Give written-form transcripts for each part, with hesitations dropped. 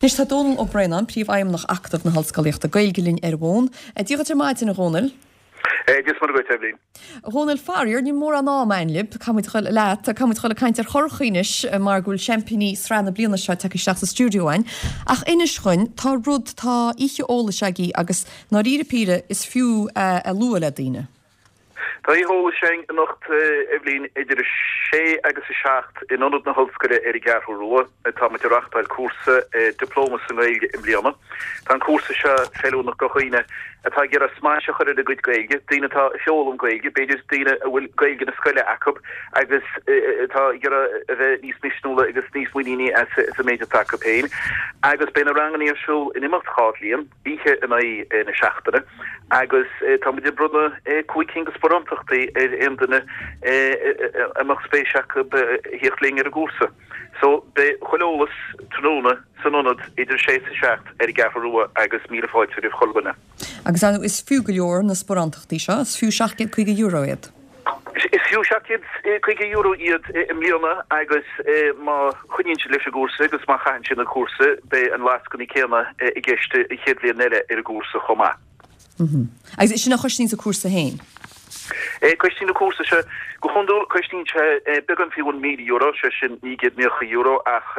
Anois tá Dónall Ó Braonáin, Príomhfheidhmeannach Acadamh na hOllscolaíochta Gaeilge linn ar an bhfón. Dia dhuit ar maidin, a Dhónaill. Dia is Muire dhuit, a Eibhlín. A Dhónaill, faraor, níl mórán ama againn libh. Caithfidh muid a dhul leat, caithfidh muid a dhul ag caint ar churachaí anois mar go bhfuil seaimpíní sraith na bliana seo tagtha isteach sa stiúideo againn. Ach inis dhuinn, tá rud, tá oíche eolais agaibh agus ndáiríre píre is fiú é a lua le daoine. Tá oíche eolais againn anocht, Eibhlín, idir 6 agus 7 in Ionad na hOllscoile ar an gCeathrú Rua. Tá muid ag reachtáil cúrsa Dioplóma sa nGaeilge i mbliana. Tá an cúrsa seo feiliúnach do dhaoine atá ag iarraidh smais a chur ar a gcuid Gaeilge, daoine atá ag foghlaim Gaeilge, b'fhéidir daoine a bhfuil Gaeilge na scoile acu agus atá ag iarraidh a bheith níos misniúla agus níos muiníní as an méid atá acu féin. Agus beidh na ranganna ar siúl in imeacht 2 bhliain. oíche in aghaidh na seachtaine agus tá muid ag bronnadh 5 cinn de sparántachtaí ar aon duine a mbeadh spéis acu a thíocht linn ar an gcúrsa. So beidh chuile eolas tráthnóna san ionad idir 6 is 7 ar an gCeathrú Rua agus míle fáilte roimh chuile dhuine. Agus ar ndóigh is fiú go leor na sparántachtaí seo, is fiú €750 iad. Is fiú €750 iad i mbliana agus má choinníonn siad leis an gcúrsa agus má chaitheann siad an cúrsa, beidh an lascainí céanna i gceist an chéad bhliain eile ar an gcúrsa chomh maith. Agus sin a chosnaíonn an cúrsa féin? Cosnaíonn an cúrsa seo, go hiondúil cosnaíonn sé beagán faoi bhun €1,000, sé sin €990, ach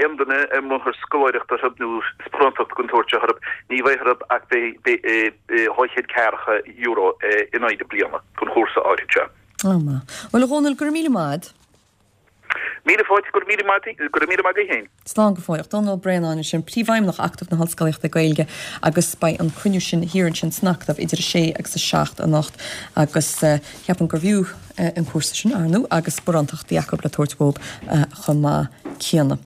aon duine a mbronnfar scoláireacht orthu nó sparántacht den tsórt seo orthu, ní bheidh orthu ach €240 in aghaidh na bliana don chúrsa áirithe seo. Ó maith. Bhuel, a Dhónaill, go raibh míle maith a'd. Míle fáilte, go raibh míle maith, go raibh míle maith agat féin. Slán go fóilleach. Dónall Ó Braonáin ansin, Príomhfheidhmeannach Acadamh na hOllscolaíochta Gaeilge agus beidh an cruinniú sin thiar ansin san Acadamh idir 6 agus 7 anocht agus ceapaim gurbh fhiú an cúrsa sin, ar ndóigh, agus sparántachtaí acu le tabhairt dhóibh chomh maith céanna.